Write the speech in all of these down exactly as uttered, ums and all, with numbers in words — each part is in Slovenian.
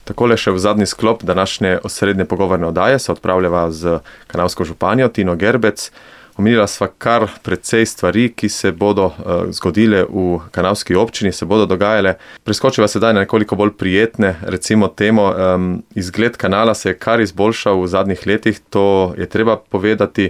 Takole še v zadnji sklop današnje osrednje pogovorne oddaje se odpravljava z kanalsko županjo Tino Gerbec. Omenila sva kar precej stvari, ki se bodo uh, zgodile v kanalski občini, se bodo dogajale. Preskočiva sedaj na nekoliko bolj prijetne, recimo temo, um, izgled kanala se je kar izboljšal v zadnjih letih, to je treba povedati.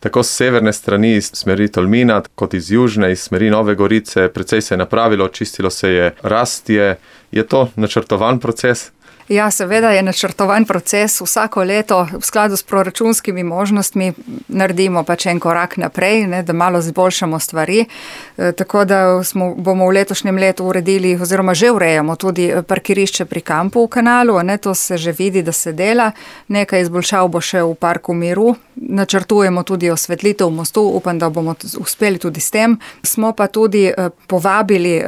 Tako z severne strani, iz smeri Tolmina, kot iz južne, iz smeri Nove Gorice, precej se je napravilo, čistilo se je Rastje. Je to načrtovan proces? Ja, seveda je načrtovan proces. Vsako leto v skladu s proračunskimi možnostmi naredimo pač en korak naprej, ne, da malo zboljšamo stvari. E, tako da smo, bomo v letošnjem letu uredili oziroma že urejamo tudi parkirišče pri kampu v kanalu. Ne, to se že vidi, da se dela. Nekaj izboljšav bo še v Parku miru. Načrtujemo tudi osvetlitev mostu, upam, da bomo uspeli tudi s tem. Smo pa tudi povabili,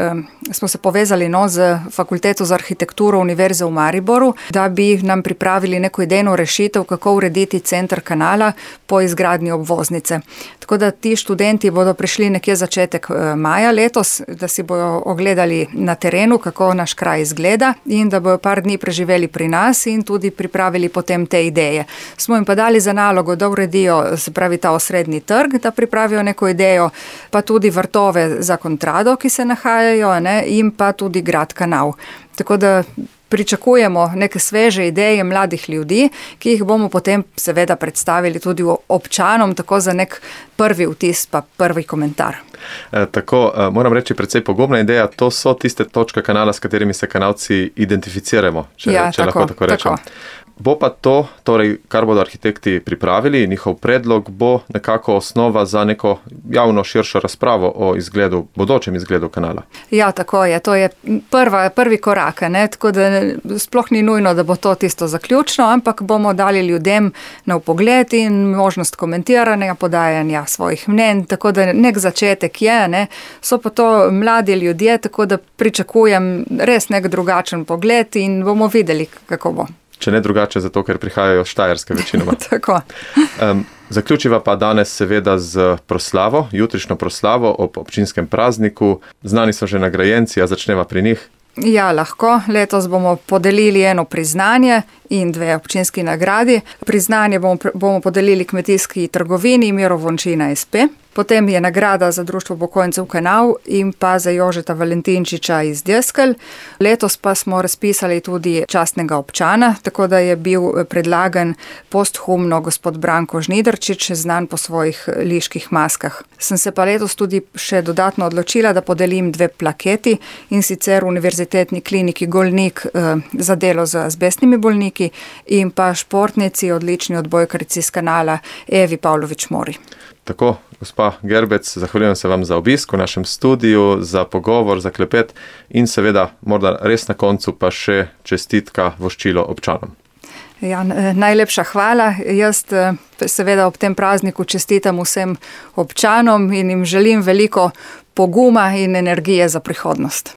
smo se povezali no, z Fakulteto za arhitekturo Univerze v Mariboru, da bi nam pripravili neko idejno rešitev, kako urediti center kanala po izgradnji obvoznice. Tako da ti študenti bodo prišli nekje začetek maja letos, da si bodo ogledali na terenu, kako naš kraj izgleda in da bodo par dni preživeli pri nas in tudi pripravili potem te ideje. Smo jim pa dali za nalogo, da uredijo, se pravi ta osrednji trg, da pripravijo neko idejo, pa tudi vrtove za Kontrado, ki se nahajajo, ne, in pa tudi grad kanal. Tako da pričakujemo neke sveže ideje mladih ljudi, ki jih bomo potem seveda predstavili tudi občanom, tako za nek prvi vtis pa prvi komentar. E, tako, e, moram reči, precej pogubna ideja, to so tiste točke kanala, s katerimi se kanalci identificiramo, če, ja, če tako, lahko tako rečem. Tako. Bo pa to, torej, kar bodo arhitekti pripravili, njihov predlog bo nekako osnova za neko javno širšo razpravo o izgledu, bodočem izgledu kanala. Ja, tako je. To je prva, prvi korak, ne? Tako da sploh ni nujno, da bo to tisto zaključno, ampak bomo dali ljudem na vpogled in možnost komentiranja, podajanja svojih mnenj, tako da nek začetek je, ne? So pa to mladi ljudje, tako da pričakujem res nek drugačen pogled in bomo videli, kako bo. Če ne drugače, zato ker prihajajo Štajerske večinoma. Tako. Um, zaključiva pa danes seveda z proslavo, jutrišnjo proslavo ob občinskem prazniku. Znani so že nagrajenci, a začneva pri njih. Ja, lahko. Letos bomo podelili eno priznanje in dve občinski nagradi. Priznanje bomo, bomo podelili kmetijski trgovini Miro Vončina es pe. Potem je nagrada za Društvo upokojencev Kanal in pa za Jožeta Valentinčiča iz Deskelj. Letos pa smo razpisali tudi častnega občana, tako da je bil predlagan posthumno gospod Branko Žnidarčič, znan po svojih liških maskah. Sem se pa letos tudi še dodatno odločila, da podelim dve plaketi, in sicer Univerzitetni kliniki Golnik eh, za delo z azbestnimi bolniki in pa športnici, odlični odbojkarici iz kanala Evi Pavlović Mori. Tako, gospa Gerbec, zahvaljujem se vam za obisk v našem studiu, za pogovor, za klepet in seveda morda res na koncu pa še čestitka voščilo občanom. Ja, najlepša hvala. Jaz seveda ob tem prazniku čestitam vsem občanom in jim želim veliko poguma in energije za prihodnost.